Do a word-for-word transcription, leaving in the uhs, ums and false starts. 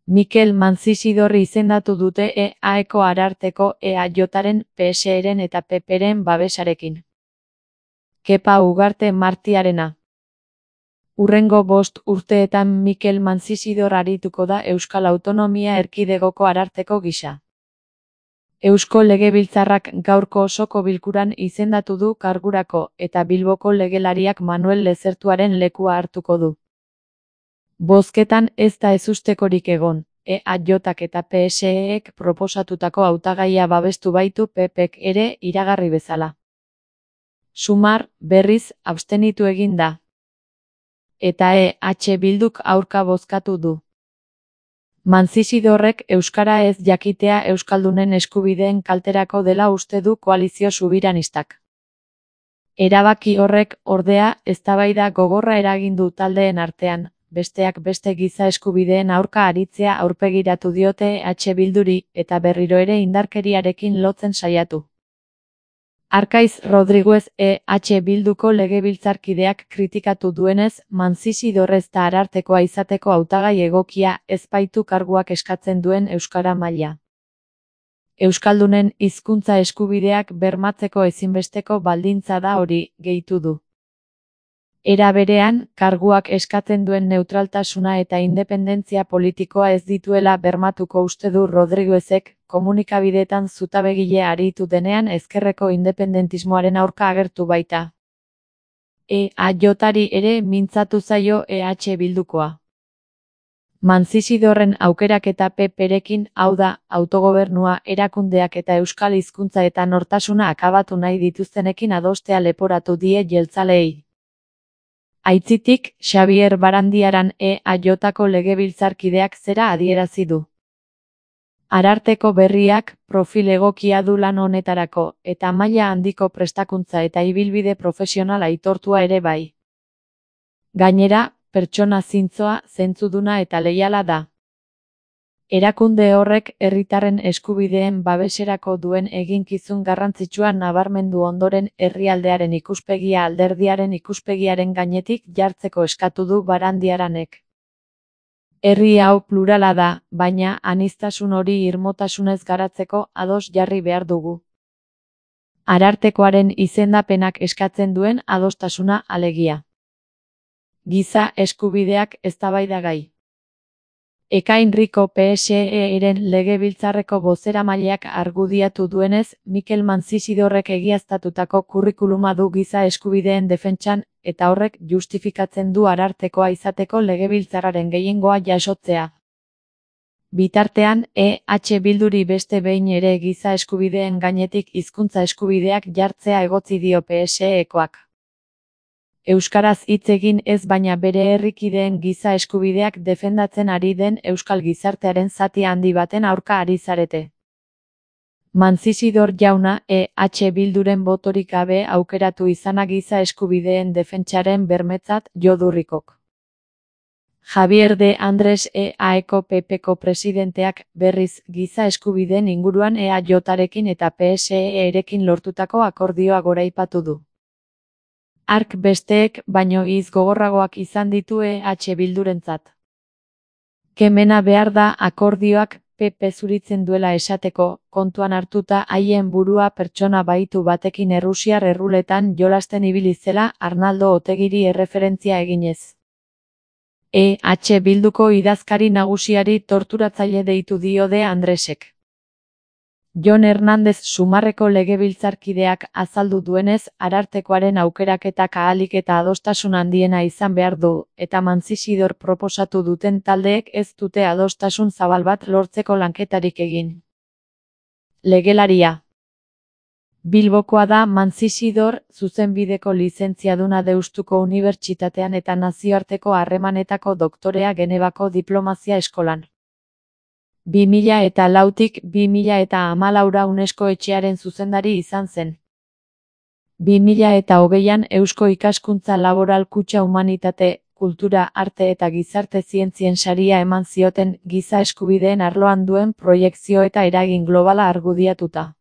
Mikel Manzizidorri izendatu dute E A-eko Ararteko E A Jaren, P S E-ren eta P P-ren babesarekin. Kepa Ugarte Martiarena. Hurrengo bost urteetan Mikel Manzizidor arituko da Euskal Autonomia Erkidegoko Ararteko gisa. Eusko Legebiltzarrak gaurko osoko bilkuran izendatu du kargurako eta Bilboko legelariak Manuel Lezertuaren lekua hartuko du. Bozketan ez da ezustekorik egon, E A Jak eta P S E-ek proposatutako hautagaia babestu baitu P P-ek ere iragarri bezala. Sumar, berriz, abstenitu egin da. Eta E H Bilduk aurka bozkatu du. Manzizidorrek euskara ez jakitea euskaldunen eskubideen kalterako dela uste du koalizio subiranistak. Erabaki horrek, ordea, eztabaida gogorra eragin du taldeen artean, besteak beste giza eskubideen aurka aritzea aurpegiratu diote E H Bilduri eta berriro ere indarkeriarekin lotzen saiatu. Arkaiz Rodriguez E H Bilduko legebiltzarkideak kritikatu duenez, Manzizidor ez da Arartekoa izateko hautagai egokia ez baitu karguak eskatzen duen euskara maila. Euskaldunen hizkuntza eskubideak bermatzeko ezinbesteko baldintza da hori, gehitu du. Era berean, karguak eskatzen duen neutraltasuna eta independentzia politikoa ez dituela bermatuko uste du Rodriguezek, komunikabideetan zutabegile aritu denean ezkerreko independentismoaren aurka agertu baita. E A Jari ere mintzatu zaio E H Bildukoa. Manzizidorren aukeraketa P P-rekin, hau da, autogobernua, erakundeak eta euskal hizkuntza eta nortasuna akabatu nahi dituztenekin adostea leporatu die jeltzaleei. Aitzitik, Xabier Barandiaran E A Jko legebiltzarkideak zera adierazi du. Ararteko berriak, profil egokia du lan honetarako, eta maila handiko prestakuntza eta ibilbide profesional aitortua ere bai. Gainera, pertsona zintzoa, zentzuduna eta leiala da. Erakunde horrek herritarren eskubideen babeserako duen eginkizun garrantzitsua nabarmendu ondoren herrialdearen ikuspegia alderdiaren ikuspegiaren gainetik jartzeko eskatu du Barandiaranek. Herri hau plurala da, baina aniztasun hori irmotasunez garatzeko ados jarri behar dugu. Arartekoaren izendapenak eskatzen duen adostasuna alegia. Giza eskubideak eztabaidagai. Ekain Rico P S E-ren legebiltzarreko bozeramaileak argudiatu duenez, Mikel Manzizidorrek egiaztatutako kurrikuluma du giza eskubideen defentsan, eta horrek justifikatzen du Arartekoa izateko legebiltzarraren gehiengoa jasotzea. Bitartean, E H Bilduri beste behin ere giza eskubideen gainetik hizkuntza eskubideak jartzea egotzi dio P S E-ekoak. Euskaraz hitz egin ez baina bere herrikideen giza eskubideak defendatzen ari den euskal gizartearen zati handi baten aurka ari zarete. Manzizidor jauna E H Bilduren botorik gabe aukeratu izana giza eskubideen defentsaren bermetzat jo du Ricok. Javier de Andres E A-eko P P-ko presidenteak, berriz, giza eskubideen inguruan E A Jarekin eta P S E-erekin lortutako akordioa goraipatu du. Hark besteek, baino hitz gogorragoak izan ditu E H Bildurentzat. Kemena behar da akordioak P P zuritzen duela esateko, kontuan hartuta haien burua pertsona baitu batekin errusiar erruletan jolasten ibili zela Arnaldo Otegiri erreferentzia eginez. E H Bilduko idazkari nagusiari torturatzaile deitu dio de Andresek. Jon Hernández Sumarreko legebiltzarkideak azaldu duenez, Arartekoaren aukeraketak ahalik eta adostasun handiena izan behar du, eta Manzizidor proposatu duten taldeek ez dute adostasun zabal bat lortzeko lanketarik egin. Legelaria. Bilbokoa da Manzizidor, zuzenbideko lizentziaduna Deustuko Unibertsitatean eta nazioarteko harremanetako doktorea Genevako diplomazia eskolan. bi mila eta lautik bi mila eta hamalaura UNESCO etxearen zuzendari izan zen. bi mila eta hogeian Eusko Ikaskuntza Laboral Kutxa Humanitate, Kultura, Arte eta Gizarte Zientzien saria eman zioten giza eskubideen arloan duen proiekzio eta eragin globala argudiatuta.